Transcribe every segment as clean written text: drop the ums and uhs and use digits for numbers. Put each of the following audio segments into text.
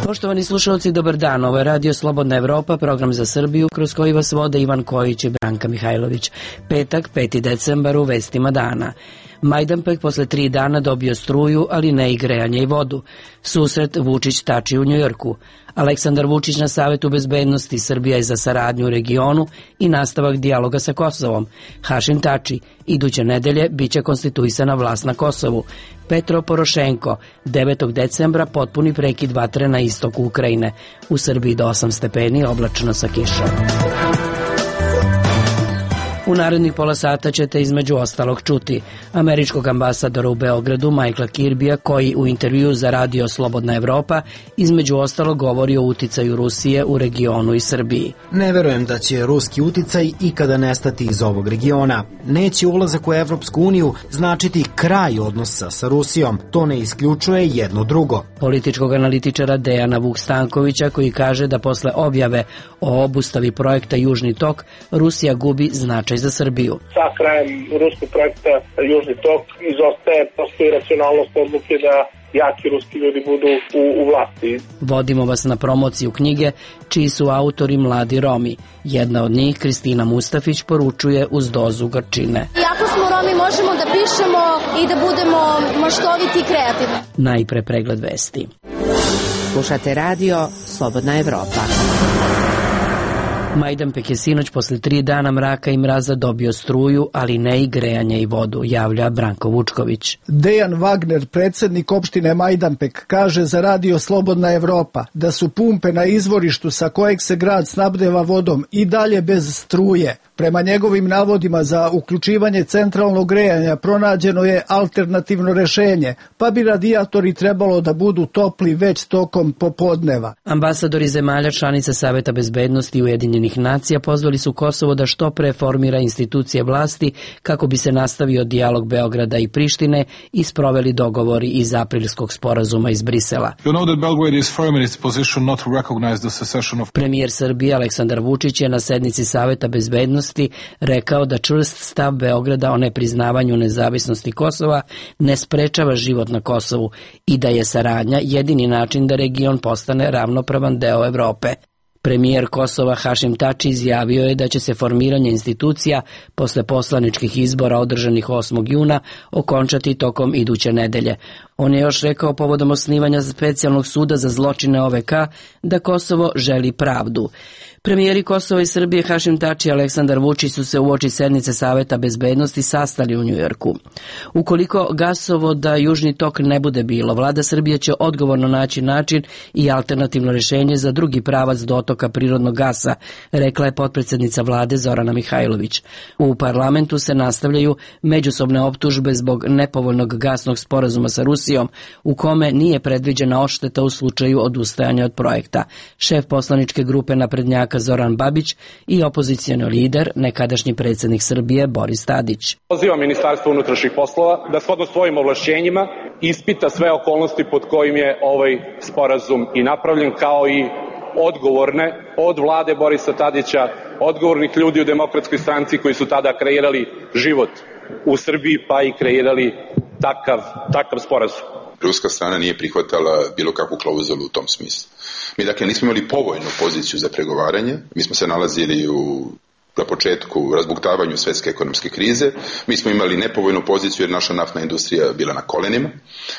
Poštovani slušalci, dobar dan. Ovo je Radio Slobodna Evropa, program za Srbiju, kroz koji vas vode Ivan Kojić i Branka Mihajlović. Petak, 5. decembar, u vestima dana. Majdanpek posle 3 dana dobio struju, ali ne i grejanje i vodu. Susret Vučić-Tači u Njujorku. Aleksandar Vučić na Savetu bezbednosti, Srbija je za saradnju u regionu i nastavak dijaloga sa Kosovom. Hašim Tači, iduće nedelje biće konstituisana vlast na Kosovu. Petro Porošenko, 9. decembra potpuni prekid vatre na istoku Ukrajine. U Srbiji do 8 stepeni, oblačno sa kišom. U narednih pola sata ćete između ostalog čuti američkog ambasadora u Beogradu Michaela Kirbija, koji u intervjuu za Radio Slobodna Evropa između ostalog govori o uticaju Rusije u regionu i Srbiji. Ne verujem da će ruski uticaj ikada nestati iz ovog regiona. Neće ulazak u Evropsku uniju značiti kraj odnosa sa Rusijom. To ne isključuje jedno drugo. Političkog analitičara Dejana Vuk-Stankovića, koji kaže da posle objave o obustavi projekta Južni tok, Rusija gubi značaj za Srbiju. Sa krajem ruskog projekta Južni tok postoji racionalnost odluke da jaki ruski ljudi budu u vlasti. Vodimo vas na promociju knjige, čiji su autori mladi Romi. Jedna od njih, Kristina Mustafić, poručuje uz dozu gorčine. Iako smo Romi, možemo da pišemo i da budemo maštoviti i kreativni. Najpre pregled vesti. Slušate Radio Slobodna Evropa. Majdanpek je sinoć posle 3 dana mraka i mraza dobio struju, ali ne i grejanje i vodu, javlja Branko Vučković. Dejan Wagner, predsjednik opštine Majdanpek, kaže za Radio Slobodna Evropa da su pumpe na izvorištu sa kojeg se grad snabdeva vodom i dalje bez struje. Prema njegovim navodima za uključivanje centralnog grejanja pronađeno je alternativno rešenje, pa bi radijatori trebalo da budu topli već tokom popodneva. Ambasadori zemalja članica Saveta bezbednosti Ujedinjenih nacija pozvali su Kosovo da što pre formira institucije vlasti kako bi se nastavio dijalog Beograda i Prištine i sproveli dogovori iz aprilskog sporazuma iz Brisela. Premijer Srbije Aleksandar Vučić je na sednici Saveta bezbednosti rekao da čvrst stav Beograda o nepriznavanju nezavisnosti Kosova ne sprečava život na Kosovu i da je saradnja jedini način da region postane ravnopravan deo Evrope. Premijer Kosova Hašim Tači izjavio je da će se formiranje institucija posle poslaničkih izbora održanih 8. juna okončati tokom iduće nedelje. On je još rekao povodom osnivanja specijalnog suda za zločine OVK da Kosovo želi pravdu. Premijeri Kosova i Srbije Hašim Tači i Aleksandar Vučić su se uoči sednice Saveta bezbednosti sastali u Njujorku. Ukoliko gasovoda Južni tok ne bude bilo, vlada Srbije će odgovorno naći način i alternativno rješenje za drugi pravac dotoka prirodnog gasa, rekla je potpredsjednica vlade Zorana Mihajlović. U parlamentu se nastavljaju međusobne optužbe zbog nepovoljnog gasnog sporazuma sa Rusijom, u kome nije predviđena odšteta u slučaju odustajanja od projekta. Šef poslaničke grupe naprednjaka Zoran Babić i opozicioni lider, nekadašnji predsjednik Srbije Boris Tadić. Pozivam Ministarstvo unutrašnjih poslova da shodno svojim ovlašćenjima ispita sve okolnosti pod kojim je ovaj sporazum i napravljen, kao i odgovorne od vlade Borisa Tadića, odgovornih ljudi u Demokratskoj stranci koji su tada kreirali život u Srbiji pa i kreirali takav sporazum. Ruska strana nije prihvatala bilo kakvu klauzulu u tom smislu. Mi dakle nismo imali povoljnu poziciju za pregovaranje, mi smo se nalazili na početku razbuktavanju svjetske ekonomske krize, mi smo imali nepovoljnu poziciju jer naša naftna industrija bila na kolenima,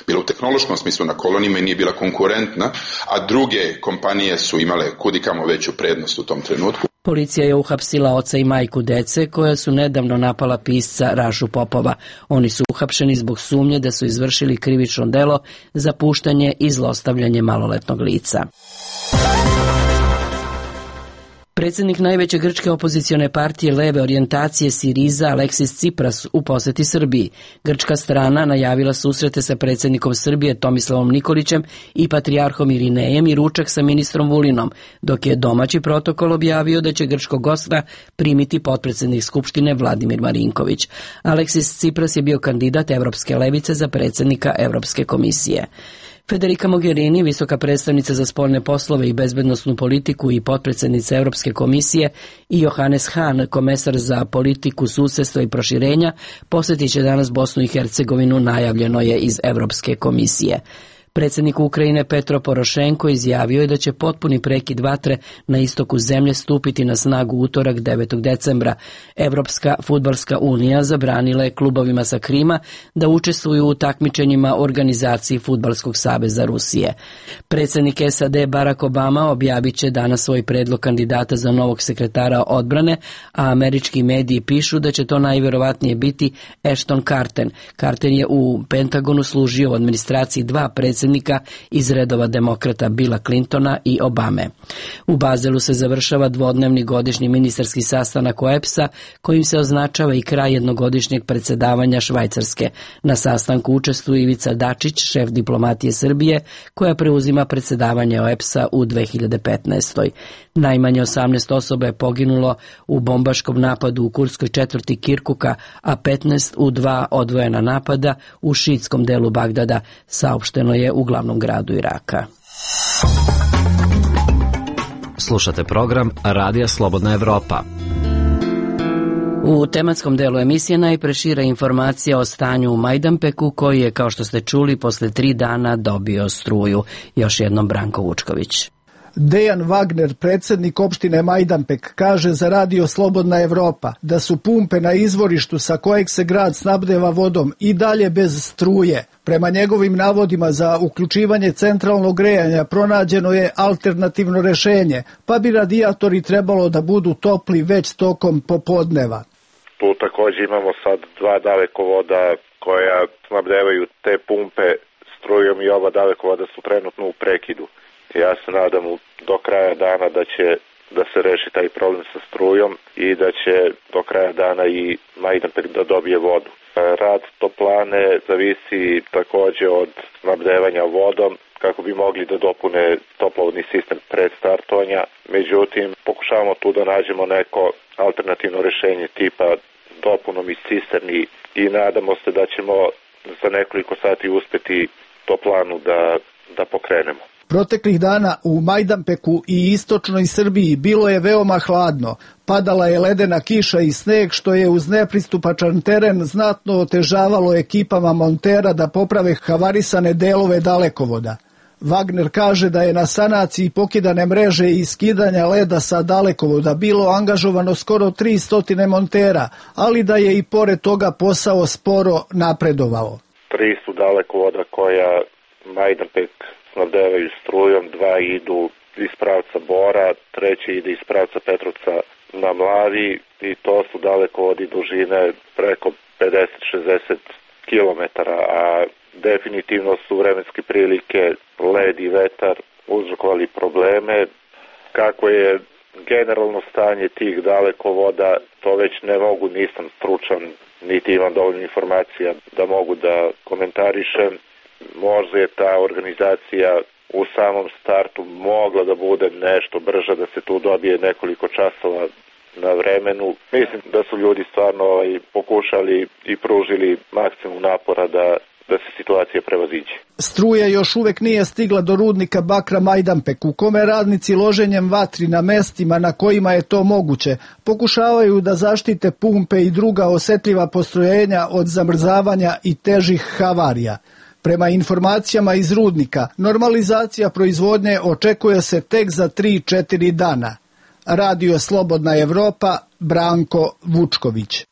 bila u tehnološkom smislu na kolenima i nije bila konkurentna, a druge kompanije su imale kudikamo veću prednost u tom trenutku. Policija je uhapsila oca i majku dece koja su nedavno napala pisca Rašu Popova. Oni su uhapšeni zbog sumnje da su izvršili krivično delo za puštanje i zlostavljanje maloletnog lica. Predsjednik najveće grčke opozicione partije leve orijentacije Siriza Aleksis Tsipras u poseti Srbiji. Grčka strana najavila susrete sa predsjednikom Srbije Tomislavom Nikolićem i patrijarhom Irinejem i ručak sa ministrom Vulinom, dok je domaći protokol objavio da će grčkog gosta primiti potpredsjednik Skupštine Vladimir Marinković. Aleksis Tsipras je bio kandidat Evropske levice za predsjednika Evropske komisije. Federica Mogherini, visoka predstavnica za spoljne poslove i bezbednosnu politiku i potpredsjednica Europske komisije, i Johannes Hahn, komesar za politiku susjedstva i proširenja, posjetit će danas Bosnu i Hercegovinu, najavljeno je iz Europske komisije. Predsjednik Ukrajine Petro Porošenko izjavio je da će potpuni prekid vatre na istoku zemlje stupiti na snagu utorak 9. decembra. Evropska fudbalska unija zabranila je klubovima sa Krima da učestvuju u takmičenjima organizaciji Fudbalskog saveza Rusije. Predsjednik SAD Barack Obama objavit će danas svoj predlog kandidata za novog sekretara odbrane, a američki mediji pišu da će to najvjerovatnije biti Ashton Carter. Carter je u Pentagonu služio u administraciji dva predsjednika iz redova demokrata Billa Clintona i Obame. U Bazelu se završava dvodnevni godišnji ministarski sastanak OEBS-a kojim se označava i kraj jednogodišnjeg predsjedavanja Švajcarske. Na sastanku učestvuje Ivica Dačić, šef diplomatije Srbije, koja preuzima predsjedavanje OEBS-a u 2015. Najmanje 18 osoba je poginulo u bombaškom napadu u kurdskoj četvrti Kirkuka, a 15 u dva odvojena napada u šiitskom delu Bagdada, saopšteno je u glavnom gradu Iraka. Slušate program Radija Slobodna Evropa. U tematskom delu emisije najpre šira informacija o stanju u Majdanpeku, koji je, kao što ste čuli, posle 3 dana dobio struju. Još jednom Branko Vučković. Dejan Wagner, predsjednik opštine Majdanpek, kaže za Radio Slobodna Evropa da su pumpe na izvorištu sa kojeg se grad snabdeva vodom i dalje bez struje. Prema njegovim navodima za uključivanje centralnog grejanja pronađeno je alternativno rešenje, pa bi radijatori trebalo da budu topli već tokom popodneva. Tu također imamo sad 2 dalekovoda koja snabdevaju te pumpe strujom i oba dalekovoda su trenutno u prekidu. Ja se nadam do kraja dana da se reši taj problem sa strujom i da će do kraja dana i Majdanpek da dobije vodu. Rad toplane zavisi također od snabdevanja vodom kako bi mogli da dopune toplovodni sistem pred startovanja. Međutim, pokušavamo tu da nađemo neko alternativno rješenje tipa dopunom iz cisterni i nadamo se da ćemo za nekoliko sati uspjeti toplanu da pokrenemo. Proteklih dana u Majdanpeku i istočnoj Srbiji bilo je veoma hladno. Padala je ledena kiša i sneg, što je uz nepristupačan teren znatno otežavalo ekipama montera da poprave havarisane delove dalekovoda. Wagner kaže da je na sanaciji pokidane mreže i skidanja leda sa dalekovoda bilo angažovano skoro 300 montera, ali da je i pored toga posao sporo napredovao. 3 su dalekovoda koja Majdanpek snabdevaju strujom, 2 idu iz pravca Bora, 3 ide iz pravca Petrovca na Mlavi i to su dalekovodi dužine preko 50-60 km, a definitivno su vremenske prilike, led i vetar uzrokovali probleme. Kako je generalno stanje tih dalekovoda, to već ne mogu, nisam stručan, niti imam dovoljno informacija da mogu da komentarišem. Možda je ta organizacija u samom startu mogla da bude nešto brža, da se tu dobije nekoliko časova na vremenu. Mislim da su ljudi stvarno pokušali i pružili maksimum napora da se situacija prevaziđe. Struja još uvek nije stigla do rudnika bakra Majdanpek, u kome radnici loženjem vatri na mestima na kojima je to moguće pokušavaju da zaštite pumpe i druga osetljiva postrojenja od zamrzavanja i težih havarija. Prema informacijama iz rudnika, normalizacija proizvodnje očekuje se tek za 3-4 dana. Radio Slobodna Evropa, Branko Vučković.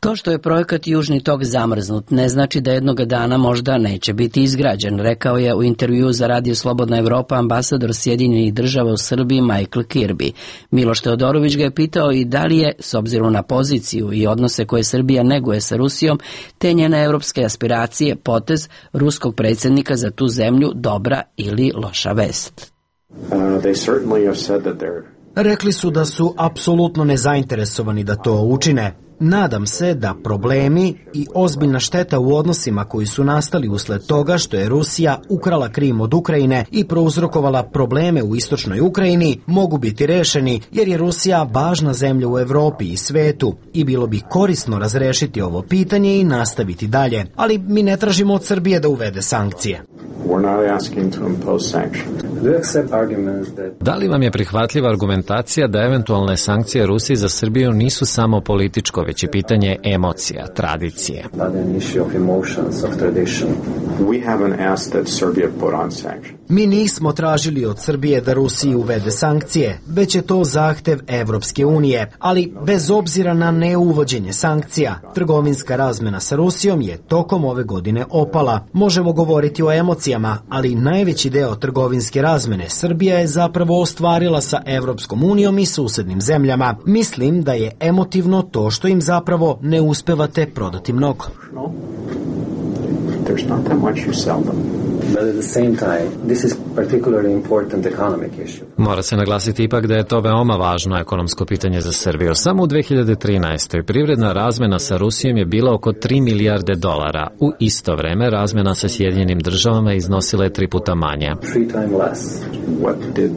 To što je projekat Južni tok zamrznut ne znači da jednoga dana možda neće biti izgrađen, rekao je u intervjuu za Radio Slobodna Evropa ambasador Sjedinjenih Država u Srbiji Michael Kirby. Miloš Teodorović ga je pitao i da li je, s obzirom na poziciju i odnose koje Srbija neguje sa Rusijom, te njene evropske aspiracije, potez ruskog predsjednika za tu zemlju dobra ili loša vest. Rekli su da su apsolutno nezainteresovani da to učine. Nadam se da problemi i ozbiljna šteta u odnosima koji su nastali usled toga što je Rusija ukrala Krim od Ukrajine i prouzrokovala probleme u istočnoj Ukrajini mogu biti rešeni jer je Rusija važna zemlja u Evropi i svetu i bilo bi korisno razrešiti ovo pitanje i nastaviti dalje. Ali mi ne tražimo od Srbije da uvede sankcije. Da li vam je prihvatljiva argumentacija da eventualne sankcije Rusiji za Srbiju nisu samo političko, već i pitanje emocija, tradicije? Mi nismo tražili od Srbije da Rusiji uvede sankcije, već je to zahtev Evropske unije, ali bez obzira na neuvođenje sankcija, trgovinska razmena sa Rusijom je tokom ove godine opala. Možemo govoriti o emocijama, ali najveći deo trgovinske razmene Srbija je zapravo ostvarila sa Evropskom unijom i susednim zemljama. Mislim da je emotivno to što im zapravo ne uspevate prodati mnogo. There's not that much you sell them. But at the same time, this is particularly important economic issue. Mora se naglasiti ipak da je to veoma važno ekonomsko pitanje za Srbiju. Samo u 2013. privredna razmena sa Rusijom je bila oko 3 milijarde dolara. U isto vreme razmena sa Sjedinjenim državama iznosila je 3 puta manje. 3 times less. What did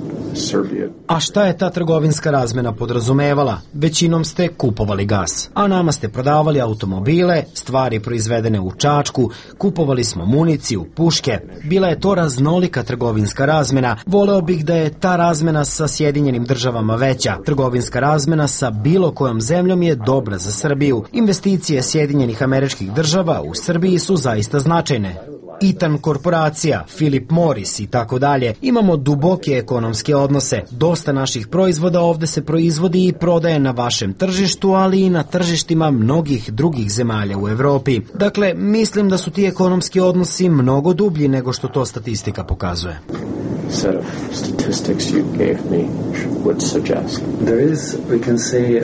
A šta je ta trgovinska razmena podrazumevala? Većinom ste kupovali gas, a nama ste prodavali automobile, stvari proizvedene u Čačku, kupovali smo municiju, puške. Bila je to raznolika trgovinska razmena. Voleo bih da je ta razmena sa Sjedinjenim državama veća. Trgovinska razmena sa bilo kojom zemljom je dobra za Srbiju. Investicije Sjedinjenih Američkih Država u Srbiji su zaista značajne. Eaton korporacija, Philip Morris i tako dalje. Imamo duboke ekonomske odnose. Dosta naših proizvoda ovde se proizvodi i prodaje na vašem tržištu, ali i na tržištima mnogih drugih zemalja u Evropi. Dakle, mislim da su ti ekonomski odnosi mnogo dublji nego što to statistika pokazuje. Set of statistics you gave me would suggest. There is, we can say,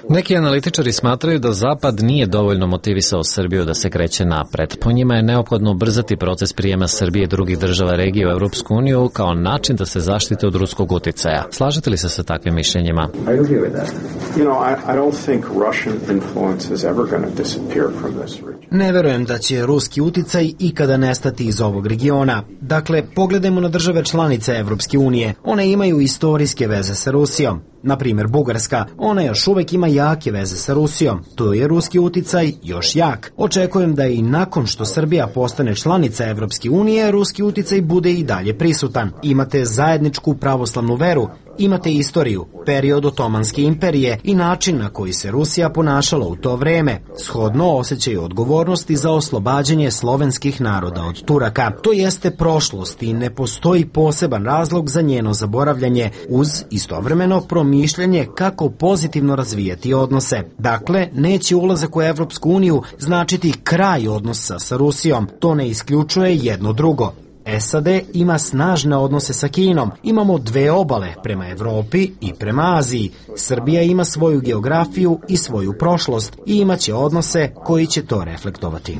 Neki analitičari smatraju da Zapad nije dovoljno motivisao Srbiju da se kreće napred. Po njima je neophodno ubrzati proces prijema Srbije i drugih država regije u Evropsku uniju kao način da se zaštite od ruskog uticaja. Slažete li se sa takvim mišljenjima? I agree with that. You know, I don't think Russian influence is ever going to disappear from this region. Ne verujem da će ruski uticaj ikada nestati iz ovog regiona. Dakle, pogledajmo na države članice Evropske unije. One imaju istorijske veze sa Rusijom. Na primjer, Bugarska, ona još uvek ima jake veze sa Rusijom. Tu je ruski uticaj još jak. Očekujem da i nakon što Srbija postane članica Evropske unije, ruski uticaj bude i dalje prisutan. Imate zajedničku pravoslavnu veru, imate istoriju, period Otomanske imperije i način na koji se Rusija ponašala u to vreme. Shodno osjećaju odgovornosti za oslobađanje slovenskih naroda od Turaka. To jeste prošlost i ne postoji poseban razlog za njeno zaboravljanje, uz istovremeno promišljanje kako pozitivno razvijati odnose. Dakle, neće ulazak u Evropsku uniju značiti kraj odnosa sa Rusijom. To ne isključuje jedno drugo. SAD ima snažne odnose sa Kinom. Imamo dve obale, prema Evropi i prema Aziji. Srbija ima svoju geografiju i svoju prošlost i imaće odnose koji će to reflektovati.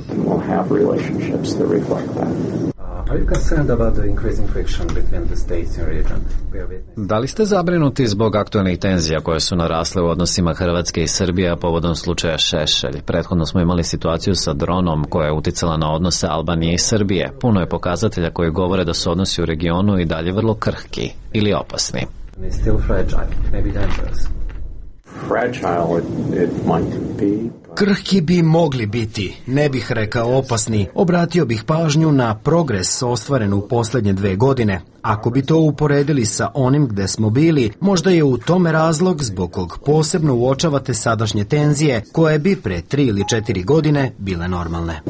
Da li ste zabrinuti zbog aktualnih tenzija koje su narasle u odnosima Hrvatske i Srbije povodom slučaja Šešelj? Prethodno smo imali situaciju sa dronom koja je uticala na odnose Albanije i Srbije. Puno je pokazatelja koji govore da su odnosi u regionu i dalje vrlo krhki ili opasni. Krhki bi mogli biti, ne bih rekao opasni. Obratio bih pažnju na progres ostvaren u poslednje 2 godine. Ako bi to uporedili sa onim gde smo bili, možda je u tome razlog zbog kog posebno uočavate sadašnje tenzije, koje bi pre 3 ili 4 godine bile normalne.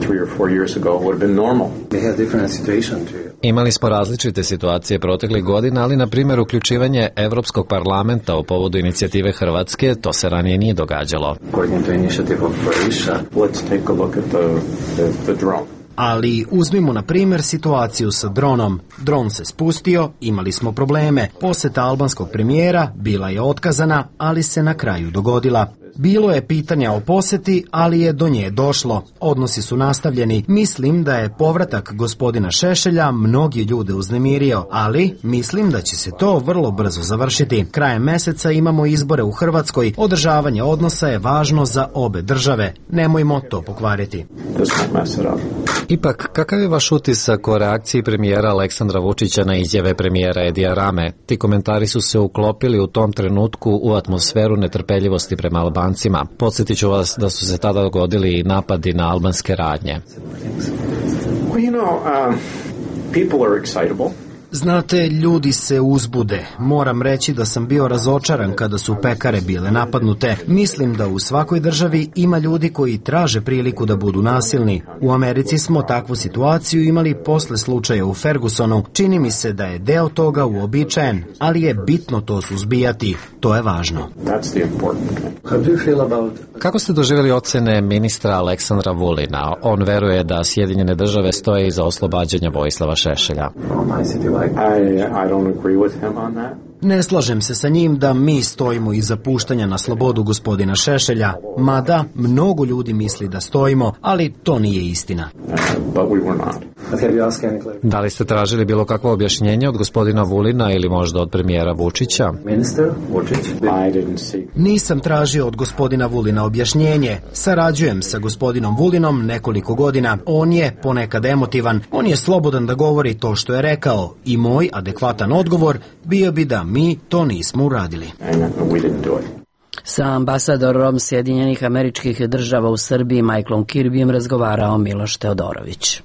Imali smo različite situacije proteklih godina, ali na primjer uključivanje Evropskog parlamenta u povodu inicijative Hrvatske, to se ranije nije događalo. Ali uzmimo na primjer situaciju sa dronom. Dron se spustio, imali smo probleme. Poseta albanskog premijera bila je otkazana, ali se na kraju dogodila. Bilo je pitanja o poseti, ali je do nje došlo. Odnosi su nastavljeni. Mislim da je povratak gospodina Šešelja mnogi ljude uznemirio, ali mislim da će se to vrlo brzo završiti. Krajem meseca imamo izbore u Hrvatskoj. Održavanje odnosa je važno za obe države. Nemojmo to pokvariti. Ipak, kakav je vaš utisak o reakciji premijera Aleksandra Vučića na izjave premijera Edija Rame? Ti komentari su se uklopili u tom trenutku u atmosferu netrpeljivosti prema Albancima. Podsjetit ću vas da su se tada dogodili napadi na albanske radnje. People are excitable. Znate, ljudi se uzbude. Moram reći da sam bio razočaran kada su pekare bile napadnute. Mislim da u svakoj državi ima ljudi koji traže priliku da budu nasilni. U Americi smo takvu situaciju imali posle slučaja u Fergusonu. Čini mi se da je deo toga uobičajen, ali je bitno to suzbijati. To je važno. Kako ste doživjeli ocene ministra Aleksandra Vulina? On veruje da Sjedinjene države stoje iza oslobađanja Vojislava Šešelja. Ne slažem se sa njim da mi stojimo iza puštanja na slobodu gospodina Šešelja, mada mnogo ljudi misli da stojimo, ali to nije istina. Da li ste tražili bilo kakvo objašnjenje od gospodina Vulina ili možda od premijera Vučića? Nisam tražio od gospodina Vulina objašnjenje. Sarađujem sa gospodinom Vulinom nekoliko godina. On je ponekad emotivan. On je slobodan da govori to što je rekao i moj adekvatan odgovor bio bi da mi to nismo uradili. Sa ambasadorom Sjedinjenih Američkih Država u Srbiji Michaelom Kirbyjem razgovarao Miloš Teodorović.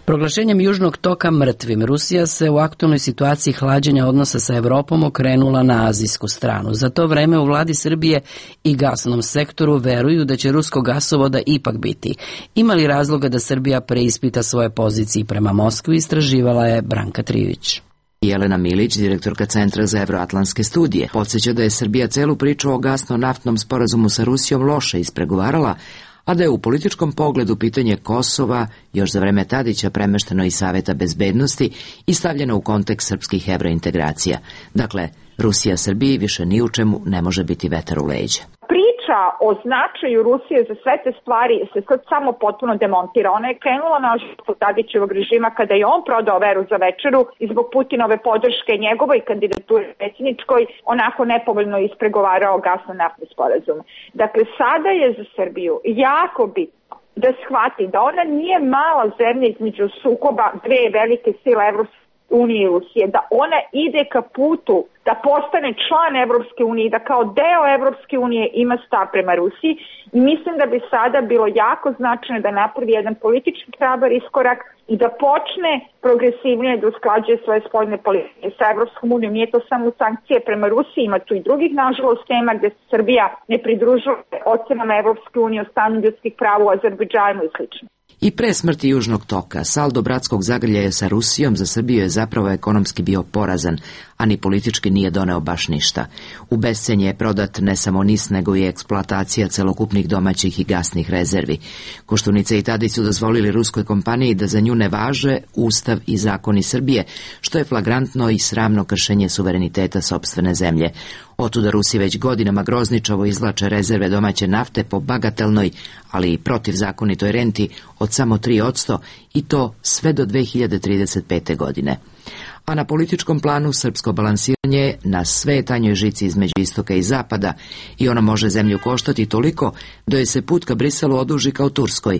Proglašenjem Južnog toka mrtvim, Rusija se u aktualnoj situaciji hlađenja odnosa sa Evropom okrenula na azijsku stranu. Za to vreme u vladi Srbije i gasnom sektoru veruju da će ruskog gasovoda ipak biti. Ima li razloga da Srbija preispita svoje pozicije prema Moskvi, istraživala je Branka Trivić. Jelena Milić, direktorka Centra za evroatlantske studije, podsjeća da je Srbija celu priču o gasno-naftnom sporazumu sa Rusijom loše ispregovarala, a da je u političkom pogledu pitanje Kosova još za vreme Tadića premešteno iz Saveta bezbednosti i stavljeno u kontekst srpskih evrointegracija. Dakle, Rusija Srbiji više ni u čemu ne može biti vetar u leđa. Priča o značaju Rusije za sve te stvari se sad samo potpuno demontira. Ona je krenula na oživu Tadićevog režima kada je on prodao veru za večeru i zbog Putinove podrške njegovoj kandidaturi predsjedničkoj onako nepovoljno ispregovarao gasno-naftni sporazum. Dakle, sada je za Srbiju jako bitno da shvati da ona nije mala zemlja između sukoba dve velike sile Evropske unije i Rusije, da ona ide ka putu da postane član Evropske unije i da kao deo Evropske unije ima stav prema Rusiji i mislim da bi sada bilo jako značajno da napravi jedan politički hrabar iskorak i da počne progresivnije da usklađuje svoje spoljne politike sa Evropskom unijom. Nije to samo sankcije prema Rusiji, ima tu i drugih nažalost tema gde se Srbija ne pridružuje ocenama Evropske unije o stanju ljudskih prava u Azerbejdžanu i slično. I pre smrti Južnog toka, saldo bratskog zagrljaja sa Rusijom za Srbiju je zapravo ekonomski bio porazan, a ni politički nije doneo baš ništa. U bescenje je prodat ne samo NIS, nego i eksploatacija celokupnih domaćih i gasnih rezervi. Koštunica i Tadić su dozvolili ruskoj kompaniji da za nju ne važe Ustav i zakoni Srbije, što je flagrantno i sramno kršenje suvereniteta sopstvene zemlje. Otuda Rusi već godinama grozničavo izvlače rezerve domaće nafte po bagatelnoj, ali i protivzakonitoj renti od samo 3% i to sve do 2035. godine. A na političkom planu srpsko balansiranje na sve tanjoj žici između istoka i zapada i ono može zemlju koštati toliko da joj se put ka Briselu oduži kao Turskoj.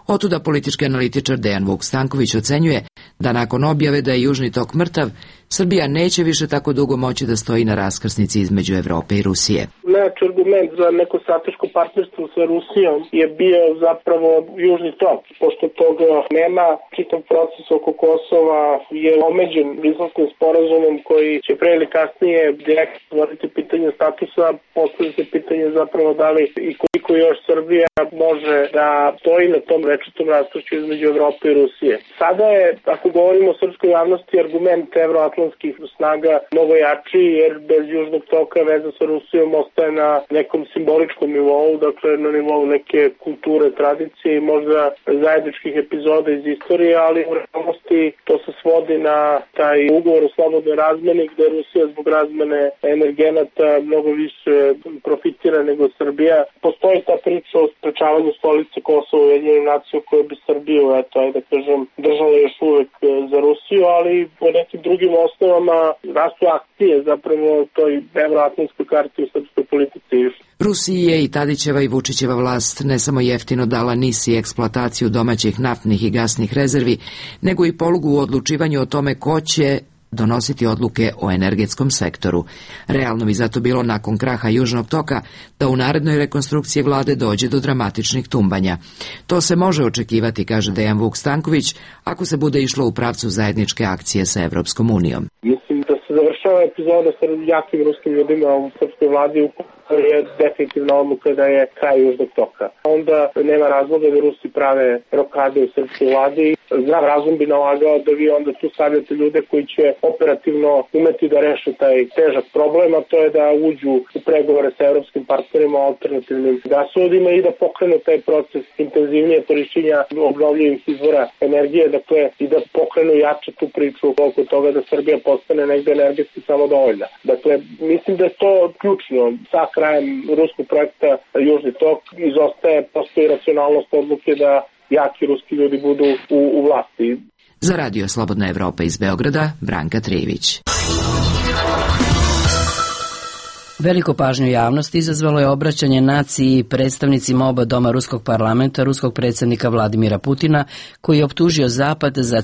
Otuda politički analitičar Dejan Vuk Stanković ocenjuje da nakon objave da je Južni tok mrtav, Srbija neće više tako dugo moći da stoji na raskrsnici između Evrope i Rusije. Najjači argument za neko strateško partnerstvo sa Rusijom je bio zapravo Južni tok. Pošto toga nema, čitav proces oko Kosova je omeđen Briselskim sporazumom koji će pre ili kasnije direktno stvoriti pitanje statusa, postavlja se pitanje zapravo da li i koliko još Srbija može da stoji na tom rečitom raskršću između Evrope i Rusije. Sada je, ako govorimo o srpskoj javnosti, argument evroatlantskih snaga mnogo jači, jer bez Južnog toka veza sa Rusijom ostaje na nekom simboličkom nivou, dakle na nivou neke kulture, tradicije i možda zajedničkih epizoda iz istorije, ali u realnosti to se svodi na taj ugovor o slobodnoj razmeni gde Rusija zbog razmene energenata mnogo više profitira nego Srbija. Postoji ta priča o sprečavanju stolice Kosova u Ujedinjenim nacijama koje bi Srbiju, držala još uvek za Rusiju, ali po nekim drugim osnovama rastu akcije zapravo toj evroatlantskoj karti u srpskoj politici. Rusiji je i Tadićeva i Vučićeva vlast ne samo jeftino dala NIS i eksploataciju domaćih naftnih i gasnih rezervi, nego i polugu u odlučivanju o tome ko će donositi odluke o energetskom sektoru. Realno bi zato bilo nakon kraha Južnog toka da u narednoj rekonstrukciji vlade dođe do dramatičnih tumbanja. To se može očekivati, kaže Dejan Vuk Stanković, ako se bude išlo u pravcu zajedničke akcije sa Evropskom unijom. Mislim da se završava epizoda sa jakim ruskim ljudima u srpskoj vladi, je definitivna odluka da je kraj Južnog toka. Onda nema razloga da Rusi prave rokade u srpskoj vladi. Zdrav razum bi nalagao da vi onda tu stavljate ljude koji će operativno umeti da reše taj težak problem, a to je da uđu u pregovore sa evropskim partnerima o alternativnim gasovodima i da pokrenu taj proces intenzivnije korišćenja obnovljivih izvora energije, dakle i da pokrenu jače tu priču oko toga da Srbija postane negde energetski samodovoljna. Dakle, mislim da je to ključno. Sa krajem ruskog projekta Južni tok izostaje, postoji racionalnost odluke da jaki ruski ljudi budu u vlasti. Za Radio Slobodna Evropa iz Beograda, Branka Trijević. Veliku pažnju javnosti izazvalo je obraćanje naciji i predstavnicima oba doma ruskog parlamenta, ruskog predsjednika Vladimira Putina, koji je optužio Zapad za,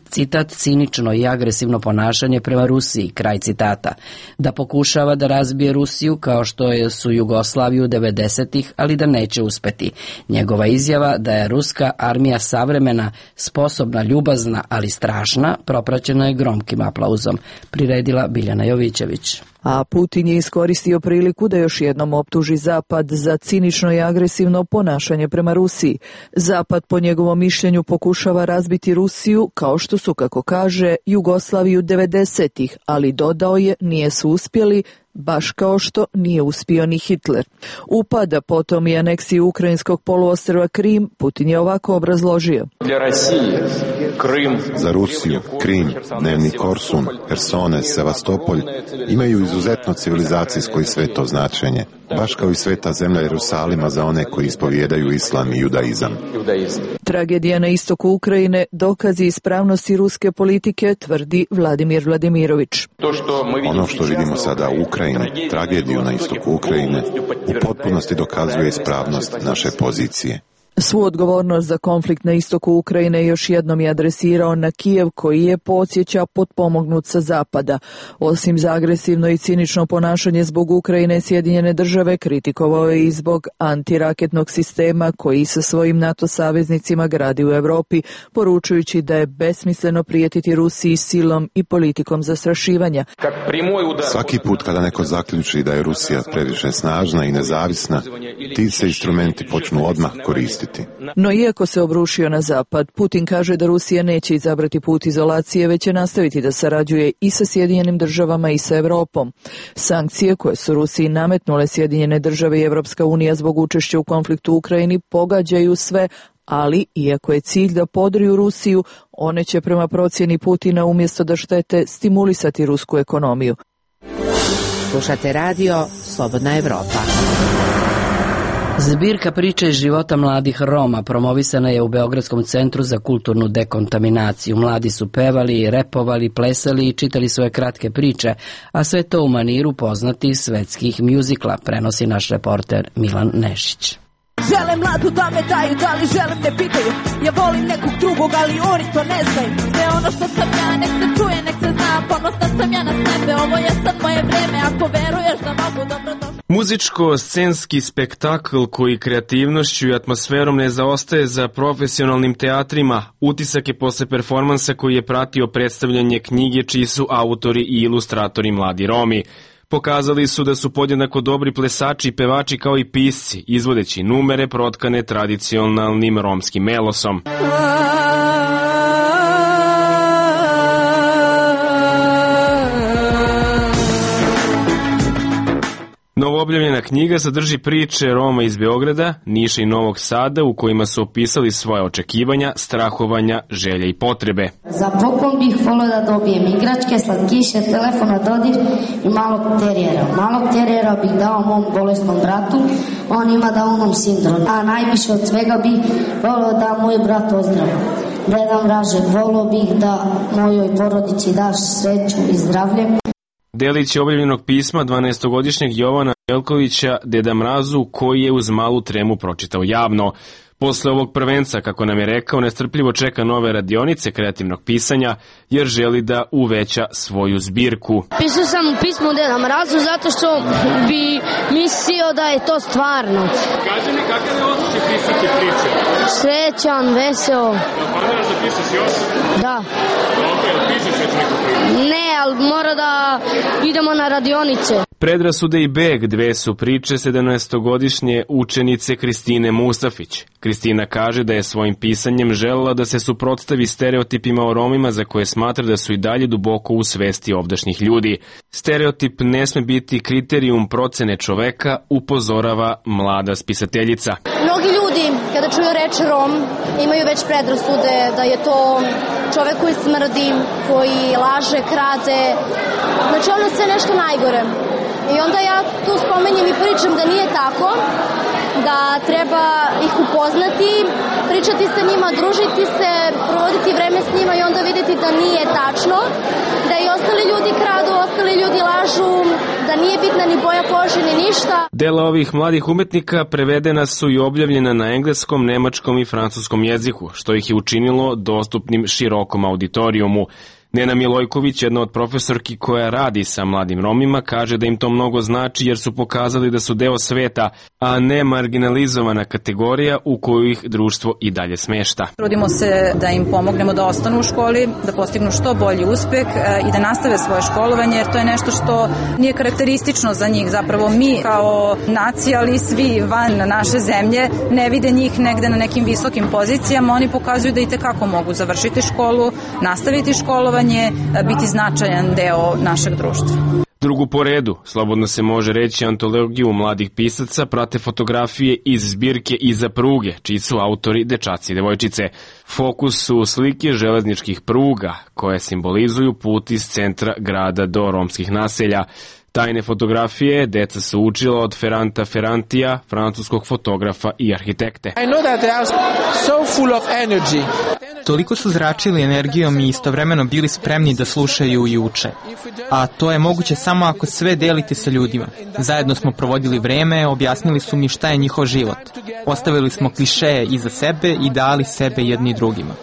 citat, cinično i agresivno ponašanje prema Rusiji, kraj citata, da pokušava da razbije Rusiju kao što su Jugoslaviju 90-ih, ali da neće uspeti. Njegova izjava da je ruska armija savremena, sposobna, ljubazna, ali strašna, propraćena je gromkim aplauzom, priredila Biljana Jovićević. A Putin je iskoristio priliku da još jednom optuži Zapad za cinično i agresivno ponašanje prema Rusiji. Zapad, po njegovom mišljenju, pokušava razbiti Rusiju, kao što su, kako kaže, Jugoslaviju 90-ih, ali dodao je, nije su uspjeli, baš kao što nije uspio ni Hitler. Upada potom i aneksiju ukrajinskog poluostrva Krim, Putin je ovako obrazložio. Za Rusiju, Krim, Dnevni Korsun, Hersone, Sevastopolj imaju izuzetno civilizacijsko i sveto značenje, baš kao i sveta zemlja Jerusalima za one koji ispovijedaju islam i judaizam. Tragedija na istoku Ukrajine dokazi ispravnosti ruske politike, tvrdi Vladimir Vladimirović. Ono što vidimo sada u Ukrajini, tragediju na istoku Ukrajine, u potpunosti dokazuje ispravnost naše pozicije. Svu odgovornost za konflikt na istoku Ukrajine još jednom je adresirao na Kijev, koji je, podsjeća, potpomognut sa zapada. Osim za agresivno i cinično ponašanje zbog Ukrajine, Sjedinjene države kritikovao je i zbog antiraketnog sistema koji sa svojim NATO saveznicima gradi u Europi, poručujući da je besmisleno prijetiti Rusiji silom i politikom zastrašivanja. Svaki put kada neko zaključi da je Rusija previše snažna i nezavisna, ti se instrumenti počnu odmah koristiti. No iako se obrušio na Zapad, Putin kaže da Rusija neće izabrati put izolacije, već će nastaviti da sarađuje i sa Sjedinjenim državama i sa Europom. Sankcije koje su Rusiji nametnule Sjedinjene države i Evropska unija zbog učešća u konfliktu u Ukrajini pogađaju sve, ali iako je cilj da podriju Rusiju, one će prema procjeni Putina umjesto da štete stimulisati rusku ekonomiju. Slušate radio Slobodna Evropa. Zbirka priče iz života mladih Roma promovisana je u Beogradskom centru za kulturnu dekontaminaciju. Mladi su pevali, repovali, plesali i čitali svoje kratke priče, a sve to u maniru poznatih svetskih mjuzikla, prenosi naš reporter Milan Nešić. Žele mladu da me daju, da li želim ne pitaju. Ja volim nekog drugog, ali oni to ne znaju. Sve ono što sam ja, nek se čuje, nek se zna. Ponosna sam ja na sebe, ovo je sad moje vreme. Ako veruješ da mogu, dobro došli. Muzičko-scenski spektakl koji kreativnošću i atmosferom ne zaostaje za profesionalnim teatrima, utisak je posle performansa koji je pratio predstavljanje knjige čiji su autori i ilustratori mladi Romi. Pokazali su da su podjednako dobri plesači i pevači kao i pisci, izvodeći numere protkane tradicionalnim romskim melosom. Novoobjavljena knjiga sadrži priče Roma iz Beograda, Niša i Novog Sada u kojima su opisali svoje očekivanja, strahovanja, želje i potrebe. Za poklon bih volio da dobijem igračke, slatkiše, telefon na dodir i malog terijera. Malog terijera bih dao mom bolesnom bratu, on ima Downom sindrom. A najviše od svega bih volio da moj brat ozdravi. Deda Mraže, volio bih da mojoj porodici daš sreću i zdravlje. Delić je objavljenog pisma 12-godišnjeg Jovana Jelkovića Deda Mrazu, koji je uz malu tremu pročitao javno. Posle ovog prvenca, kako nam je rekao, nestrpljivo čeka nove radionice kreativnog pisanja jer želi da uveća svoju zbirku. Pisao sam pismo Deda Mrazu zato što bi mislio da je to stvarno. Kaži mi kakav je osjećaj pisati priče? Srećan, veseo. Planiraš da pišeš još? Da. Dobro, pišeš već neku priču? Ne, ali mora da idemo na radionice. Predrasude i beg, dve su priče 17-godišnje učenice Kristine Mustafić. Kristina kaže da je svojim pisanjem želela da se suprotstavi stereotipima o Romima za koje smatra da su i dalje duboko u svesti ovdašnjih ljudi. Stereotip ne sme biti kriterijum procene čoveka, upozorava mlada spisateljica. Mnogi ljudi, kada čuju reč Rom, imaju već predrasude da je to čovek koji smrdi, koji laže, krade. Znači ono sve nešto najgore. I onda ja tu spomenjem i pričam da nije tako, da treba ih upoznati, pričati sa njima, družiti se, provoditi vreme s njima i onda videti da nije tačno, da i ostali ljudi kradu, ostali ljudi lažu, da nije bitna ni boja kože ni ništa. Dela ovih mladih umetnika prevedena su i objavljena na engleskom, nemačkom i francuskom jeziku, što ih je učinilo dostupnim širokom auditorijumu. Nena Milojković, jedna od profesorki koja radi sa mladim Romima, kaže da im to mnogo znači jer su pokazali da su deo sveta, a ne marginalizovana kategorija u koju ih društvo i dalje smešta. Trudimo se da im pomognemo da ostanu u školi, da postignu što bolji uspeh i da nastave svoje školovanje, jer to je nešto što nije karakteristično za njih. Zapravo mi kao nacija, ali svi van naše zemlje, ne vide njih negde na nekim visokim pozicijama. Oni pokazuju da i tekako mogu završiti školu, nastaviti školovanje, biti značajan deo našeg društva. Drugu po redu, slobodno se može reći, antologiju mladih pisaca prate fotografije iz zbirke Iza pruge, čiji su autori dečaci i devojčice. Fokus su slike železničkih pruga, koje simbolizuju put iz centra grada do romskih naselja. Tajne fotografije deca su učila od Ferranta Ferrantija, francuskog fotografa i arhitekte. Toliko su zračili energijom i istovremeno bili spremni da slušaju i uče. A to je moguće samo ako sve delite sa ljudima. Zajedno smo provodili vreme, objasnili su mi šta je njihov život. Ostavili smo klišeje iza sebe i dali sebe jedni drugima.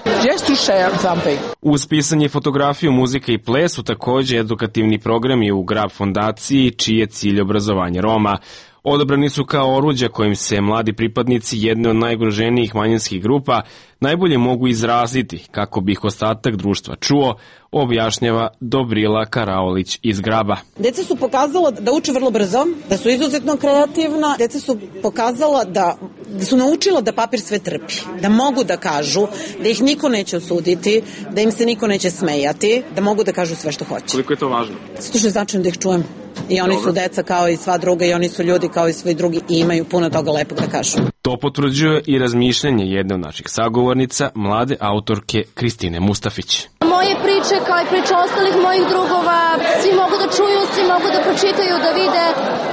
Uz pisanje, fotografiju, muzika i ples su takođe edukativni programi u Grab fondaciji, čiji je cilj obrazovanje Roma. Odabrani su kao oruđa kojim se mladi pripadnici jedne od najugroženijih manjinskih grupa najbolje mogu izraziti kako bi ih ostatak društva čuo, objašnjava Dobrila Karaolić iz Graba. Deca su pokazala da uče vrlo brzo, da su izuzetno kreativna, deca su pokazala da su naučila da papir sve trpi, da mogu da kažu, da ih niko neće osuditi, da im se niko neće smejati, da mogu da kažu sve što hoće. Koliko je to važno? Zato što je značajno da ih čujem. I oni su deca kao i sva druga i oni su ljudi kao i svi drugi i imaju puno toga lepog da kažu. To potvrđuje i razmišljanje jedne od naših sagovornica, mlade autorke Kristine Mustafić. Moje priče, kao i priče ostalih mojih drugova, svi mogu da čuju, svi mogu da pročitaju, da vide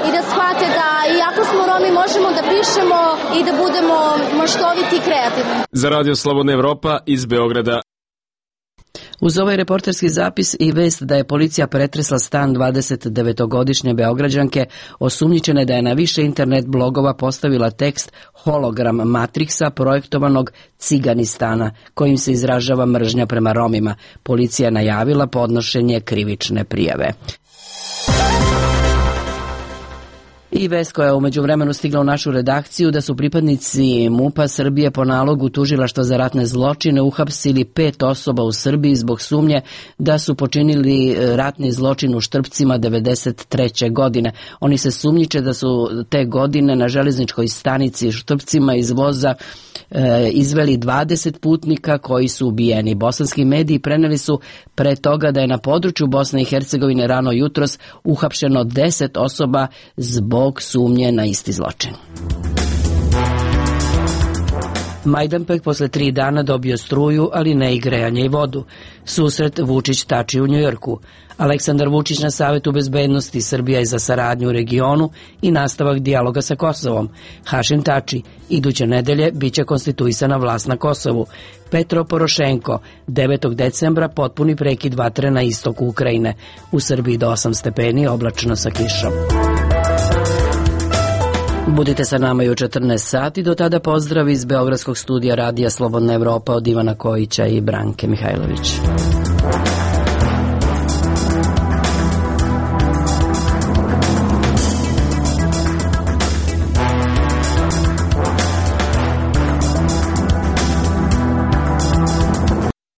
i da shvate da iako smo Romi možemo da pišemo i da budemo maštoviti i kreativni. Za Radio Slobodna Evropa iz Beograda. Uz ovaj reporterski zapis i vest da je policija pretresla stan 29-godišnje Beograđanke, osumnjičene da je na više internet blogova postavila tekst hologram Matrixa projektovanog Ciganistana, kojim se izražava mržnja prema Romima. Policija najavila podnošenje krivične prijave. I vest koja je umeđu vremenu stigla u našu redakciju da su pripadnici MUP-a Srbije po nalogu Tužilaštva za ratne zločine uhapsili 5 osoba u Srbiji zbog sumnje da su počinili ratni zločin u Štrpcima 1993. godine. Oni se sumnjiče da su te godine na železničkoj stanici Štrpcima iz voza izveli 20 putnika koji su ubijeni. Bosanski mediji preneli su pre toga da je na području Bosne i Hercegovine rano jutros uhapšeno 10 osoba zbog sumnje na isti zločin. Majdanpek posle 3 dana dobio struju, ali ne i grejanje i vodu. Susret Vučić-Tači u Njujorku. Aleksandar Vučić na Savetu bezbednosti Srbija je za saradnju u regionu i nastavak dijaloga sa Kosovom. Hašim Tači, iduće nedelje biće konstituisana vlast na Kosovu. Petro Porošenko, 9. decembra potpuni prekid vatre na istoku Ukrajine. U Srbiji do 8 stepeni, oblačno sa kišom. Budite sa nama i u 14 sati, do tada pozdrav iz Beogradskog studija Radija Slobodna Evropa od Ivana Kojića i Branke Mihajlović.